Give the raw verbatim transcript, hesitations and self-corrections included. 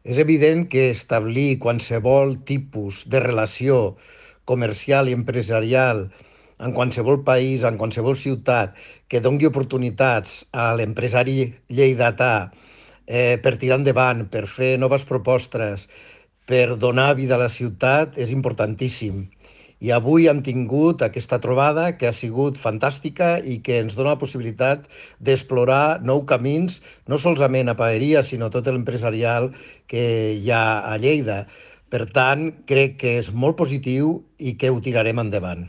És evident que establir qualsevol tipus de relació comercial i empresarial en qualsevol país, en qualsevol ciutat, que doni oportunitats a l'empresari lleidatà eh, per tirar endavant, per fer noves propostes, per donar vida a la ciutat, és importantíssim. I avui hem tingut aquesta trobada que ha sigut fantàstica i que ens dona la possibilitat d'explorar nous camins, no solament a Paeria, sinó tot l'empresarial que hi ha a Lleida. Per tant, crec que és molt positiu i que ho tirarem endavant.